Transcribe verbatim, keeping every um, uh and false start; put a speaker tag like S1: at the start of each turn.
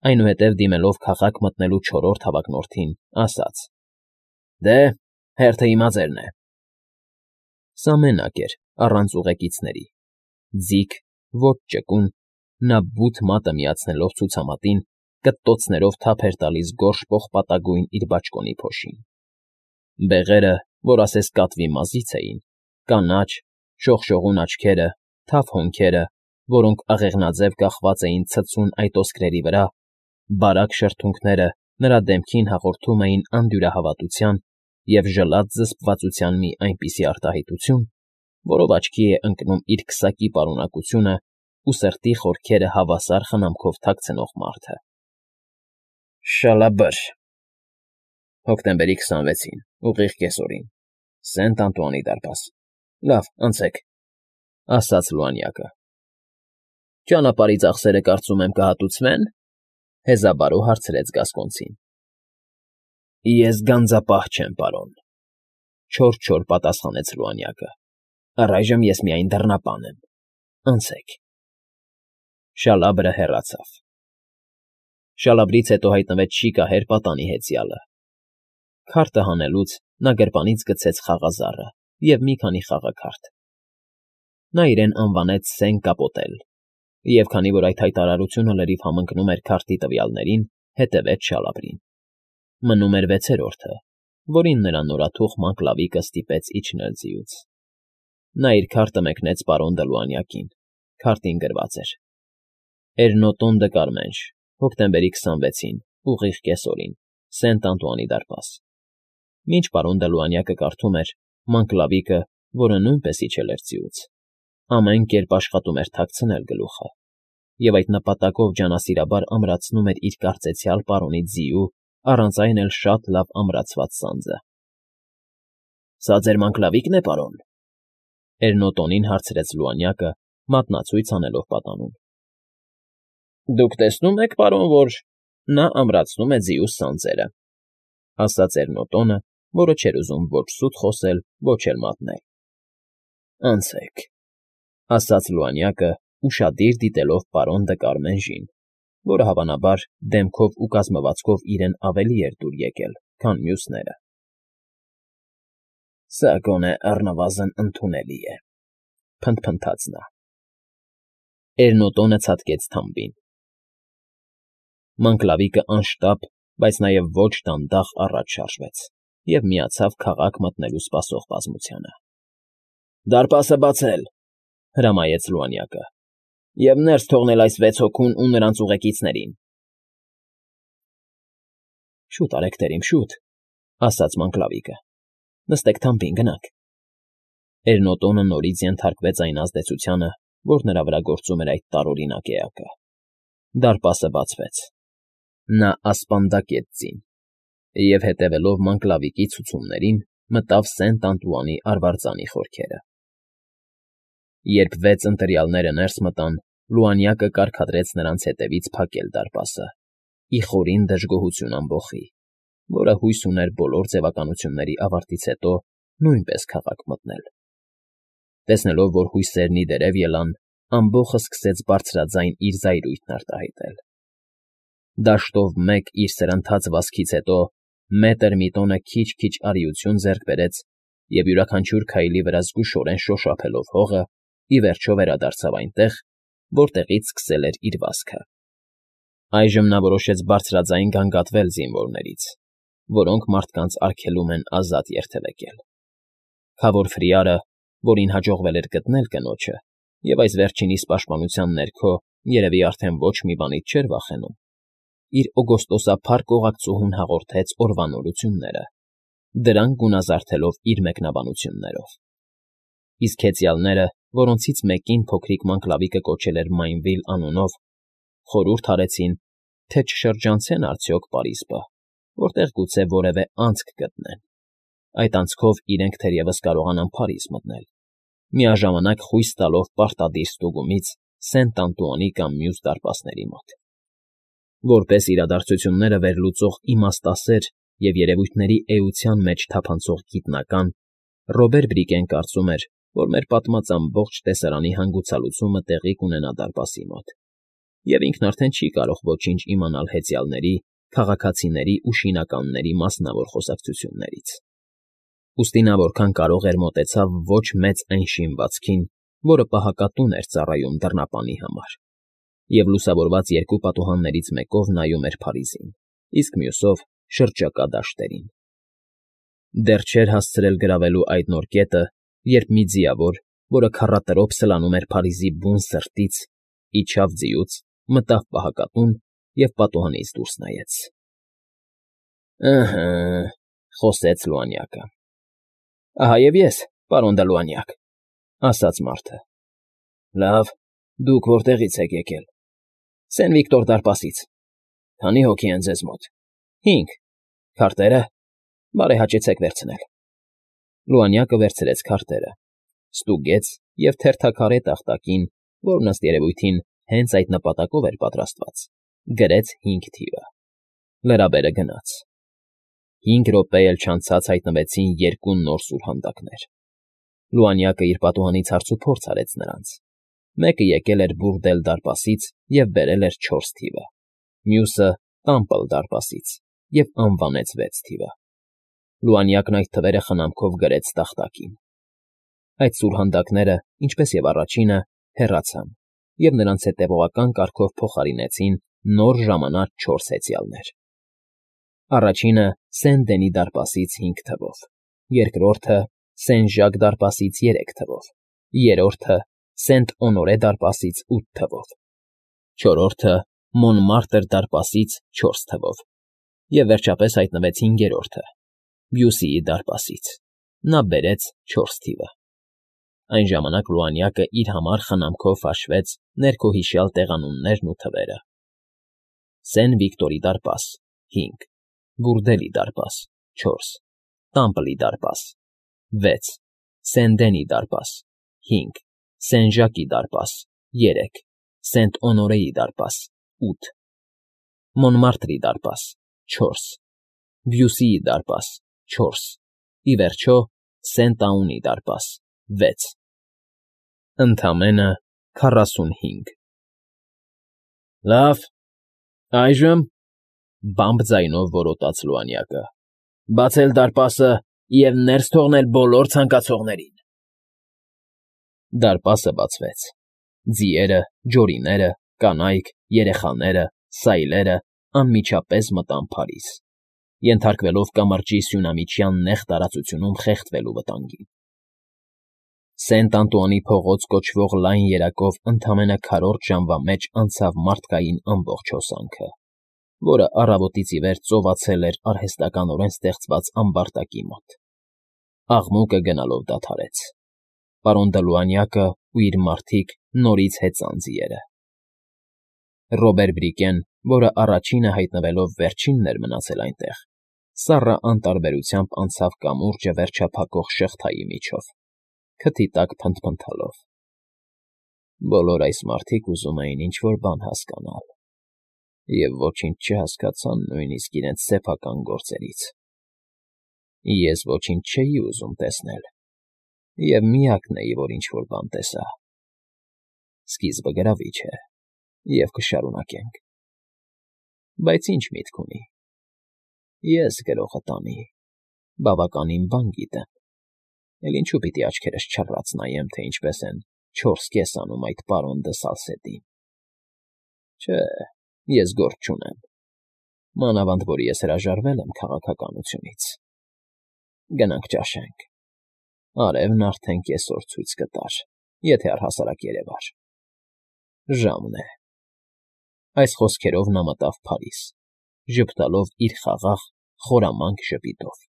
S1: Այնուհետև, դիմելով քաղաք մտնելու չորրորդ հավակնորդին, ասաց. ֊ Դե, հերթը հիմա ձերն է։ Սա մենակ էր, առանց ուղեկիցների, ձիգ, ոչ ճկուն, նա բութ մատը միացնելով ցուցամատին, կտտոցներով թափ էր տալիս գորշ պողպատագույն իր բաճկոնի փոշին։ Բեղերը, որ ասես կատվի մազից էին, կանաչ, շողշողուն աչքերը, թավ հոնքերը, որոնք աղեղնաձև կախված էին ցցուն այտոսկրերի վրա, բարակ շրթունքները նրա դեմքին հաղորդում էին անդյուրահավատության և ժլատ զսպվածության մի այնպիսի արտահայտություն, որով աչքի է ընկնում իր քսակի պարունակությունն ու սրտի խորքերը հավասար խնամքով թաքցնող մարդը։ ֊ Շալաբր… Հոկտեմբերի քսանվեցին, ուղիղ կեսօրին, Սենտ Անտուանի դարպաս, լավ, անցեք,֊ ասաց լուանյակը։ ֊ Ճանապարհի ծախսերը, կարծում եմ, կհատուցվեն,֊ հեզաբարո հարցրեց Գասկոնցին։ ֊ Ես գանձապահ չեմ, պարոն,֊ չոր֊չոր պատասխանեց լուանյակը,֊ առայժմ ես միայն դռնապան եմ, անցեք… Շալաբրը հեռացավ։ Շալաբրից հետո հայտնվեց շիկահեր պատանի հեծյալը։ Քարտը հանելուց նա գրպանից գցեց խաղազարը և մի քանի խաղաքարտ։ Նա իրեն անվանեց Սեն Կապոտել և, քանի որ այդ հայտարարությունը լրիվ համընկնում էր քարտի տվյալներին, հետևեց Շալաբրին։ Մնում էր վեցերորդը, որին նրա նորաթուխ Մակլավիկը ստիպեց իջնել ձիուց։ Նա իր քարտը մեկնեց պարոն Դլուանյակին, քարտին գրված էր. «Էրնոտոն դը Կարմենշ, հոկտեմբերի քսանվեցին, ուղիղ կեսօրին, Սենտ Անտուանի դարպաս»։ Մինչ պարոն Դլուանյակը կարդում էր, Մանկլավիկը, որը նույնպես իջել էր ձիուց, ամեն կերպ աշխատում էր թաքցնել գլուխը և այդ նպատակով ջանասիրաբար ամրացնում էր իր կարծեցյալ պարոնի ձիու առանց այն էլ շատ լավ ամրացված սանձը։ ֊ Սա ձեր Մանկլավի՞կն է, պարոն,֊ Էրնոտոնին հարցրեց լուանյակը, մատնացույց անելով պատանուն։ ֊ Դուք տեսնում եք, պարոն, որ նա ամրացնում է ձիուս սանձերը,֊ ասաց Էրնոտոնը, որը չէր ուզում ոչ սուտ խոսել, ոչ էլ մատնել։ ֊ Անցեք,֊ ասաց լուանյակը, ուշադիր դիտելով պարոն Դկարմենժին, որը, հավանաբար, դեմքով ու կազմվածքով իրեն ավելի էր դուր եկել, քան մյուսները։ ֊ Սա գոնե առնվազն ընդունելի է,֊ փնթփնթաց նա։ Էրնոտոնը ցատկեց թամբին։ Մանկլավիկը անշտապ, բայց նաև ոչ դանդաղ առաջ շարժվեց և միացավ քաղաք մտնելու սպասող բազմությանը։ ֊ Դարպասը բացել,֊ հրամայեց լուանյակը,֊ և ներս թողնել այս վեց հոգուն ու նրանց ուղեկիցներին։ ֊ Շուտ արեք, տերիմ, շուտ,֊ ասաց Մանկլավիկը,֊ նստեք թամբին, գնանք։ Էրնոտոնը նորից ենթարկվեց այն ազդեցությանը, որ նրա վրա գործում էր այդ տարօրինակ էակը։ Դարպասը բացվեց։ Նա ասպանդակեց ձին և, հետևելով Մանկլավիկի ցուցումներին, մտավ Սենտ Անտուանի արվարձանի խորքերը։ Երբ վեց ընտրյալները ներս մտան, լուանյակը կարգադրեց նրանց հետևից փակել դարպասը՝ ի խորին դժգոհություն ամբոխի, որը հույս ուներ բոլոր ձևականությունների ավարտից հետո նույնպես քաղաք մտնել։ Տեսնելով, որ հույսերն ի դերև ելան, ամբոխը սկսեց բարձրաձայն իր զայրույթն արտահայտել։ Դաշտով մեկ իր սրընթաց վազքից հետո մետր մի տոնը քիչ֊քիչ արիություն ձեռք բերեց և, յուրաքանչյուր քայլի վրա զգուշորեն շոշափելով հողը, ի վերջո վերադարձավ այնտեղ, որտեղից սկսել էր իր վազքը։ Այժմ նա որոշեց բարձրաձայն գանգատվել զինվորներից, որոնք մարդկանց արգելում են ազատ երթևեկել։ Քավոր Ֆրիարը, որին հաջողվել էր գտնել կնոջը և այս վերջինիս պաշտպանության ներքո երևի արդեն ոչ մի բանից չէր վախենում, իր օգոստոսափառ կողակցուհուն հաղորդեց օրվա նորությունները, դրանք գունազարդելով իր մեկնաբանություններով։ Իսկ հեծյալները, որոնցից մեկին փոքրիկ Մանկլավիկը կոչել էր Մայնվիլ անունով, խորհուրդ արեցին, թե չշրջանցեն արդյոք պարիսպը, որտեղ գուցե որևէ անցք գտնեն, այդ անցքով իրենք թերևս կարողանան Փարիզ մտնել, միաժամանակ խույս տալով պարտադիր ստուգումից Սենտ Անտուանի կամ մյուս դարպասների մոտ։ Որպես իրադարձությունները վերլուծող իմաստասեր և երևույթների էության մեջ թափանցող գիտնական, Ռոբեր Բրիկեն կարծում էր, որ մեր պատմած ամբողջ տեսարանի հանգուցալուծումը տեղի կունենա դարպասի մոտ։ և ինքն արդեն չի կարող ոչինչ իմանալ հեծյալների, քաղաքացիների ու շինականների մասնավոր խոսակցություններից, ուստի նա որքան կարող էր մոտեցավ ոչ մեծ այն շինվածքին, որը պահակատուն էր ծառայում դռնապանի համար, և լուսավորված երկու պատուհաններից մեկով նայում էր Փարիզին, իսկ մյուսով՝ շրջակա դաշտերին։ Դեռ չէր հասցրել գրավելու այդ նոր կետը, երբ մի ձիավոր, որը քառատրոփ սլանում էր Փարիզի բուն սրտից, իջավ ձիուց, մտավ պահակատուն և պատուհանից դուրս նայեց։ ֊ Ըհը,֊ խոսեց Լուանյակը։ ֊ Ահա և ես, պարոն Դ'Լուանյակ,֊ ասաց մարդը։ ֊ Լավ, դուք որտեղի՞ց եք եկել։ ֊ Սեն֊Վիկտոր դարպասից։ ֊ Քանի՞ հոգի են ձեզ մոտ։ ֊ Հինգ։ ֊ Քարտե՞րը։ ֊ Բարեհաճեցեք վերցնել։ Լուանյակը վերցրեց քարտերը, ստուգեց և թերթաքարե տախտակին, որն, ըստ երևույթին, հենց այդ նպատակով էր պատրաստված, գրեց հինգ թիվը։ Լրաբերը գնաց։ Հինգ րոպե էլ չանցած հայտնվեցին երկու նոր սուրհանդակներ։ Լուանյակը իր պատուհանից հարցուփորձ արեց նրանց։ Մեկը եկել էր Բուրդել դարպասից և բերել էր չորս թիվը, մյուսը՝ Տամպլ դարպասից և անվանեց վեց թիվը։ Լուանյակն այդ թվերը խնամքով գրեց տախտակին։ Այդ սուրհանդակները, ինչպես և առաջինը, հեռացան, և նրանց հետևողական կարգով փոխարինեցին նոր ժամանած չորս հեծյալներ. առաջինը Սեն֊Դենի դարպասից հինգ թվով, երկրորդը Սեն֊Ժակ դարպասից երեք թվով, երրորդը Սենտ֊Օնորե դարպասից ութ թվով, չորրորդը Մոնմարտր դարպասից չորս թվով, և վերջապես հայտնվեց հինգերորդը՝ Բյուսիի դարպասից։ Նա բերեց չորս թիվը։ Այն ժամանակ Լուանյակը իր համար խնամքով հաշվեց ներքոհիշյալ տեղանուններն ու թվերը. Սեն֊Վիկտորի դարպաս՝ հինգ, Բուրդելի դարպաս՝ չորս, Տամպլի դարպաս՝ վեց, Սեն֊Դենի դարպաս՝ հինգ, Սեն֊Ժակի դարպաս՝ երեք, Սենտ֊Օնորեի դարպաս՝ ութ, Մոնմարտրի դարպաս՝ չորս, Բյուսիի դարպաս՝ չորս, ի վերջո Սենտ֊Աունի դարպաս՝ վեց։ Ընդամենը քառասունհինգ։ ֊ Լավ, այժմ,֊ բամբ ձայնով որոտաց Լուանյակը,֊ բացել դարպասը և ներս թողնել բոլոր ցանկացողներին։ Դարպասը բացվեց։ Ձիերը, ջորիները, կանայք, երեխաները, սայլերը անմիջապես մտան Փարիզ, ենթարկվելով կամրջի սյունամիջյան նեղ տարածությունում խեղդվելու վտանգին։ Սենտ Անտուանի փողոց կոչվող լայն երակով ընդամենը քառորդ ժամվա մեջ անցավ մարդկային ամբողջ հոսանքը, որը առավոտից ի վեր ծովածել էր արհեստականորեն ստեղծված ամբարտակի մոտ։ Աղմուկը գնալով դադարեց։ Պարոն Դ'Լուանյակը ու իր մարդիկ նորից հեծան ձիերը։ Ռոբեր Բրիկեն, որը առաջինը հայտնվելով վերջինն էր մնացել այնտեղ, սառը անտարբերությամբ անցավ կամուրջը վերջափակող շղթայի միջով, քթի տակ փնթփնթալով։ Բոլոր այս մարդիկ ուզում էին ինչ֊որ բան հասկանալ, և ոչինչ չհասկացան նույնիսկ իրենց սեփական գործերից։ Ես ոչինչ չէի ուզում տեսնել և միակն էի, որ ինչ֊որ բան տեսա։ Սկիզբը գրավիչ է, և կշարունակենք։ Բայց ինչ միտք ունի։ Ես գրողը տանի, բավականին բան գիտեմ, էլ ինչու պիտի աչքերս չռած նայեմ, թե ինչպես են չորս կես անում այդ պարոն դը Սալսետին։ Չէ, ես գործ չունեմ, մանավանդ որ ես հրաժարվել եմ քաղաքականությունից։ Գնանք ճաշենք։ Արևն արդեն կեսօր ցույց կտար, եթե առհասարակ երևար։ Ժամն է։ Այս խոսքերով նա մտավ Փարիզ, ժպտալով իր խաղաղ, խորամանկ ժպիտով։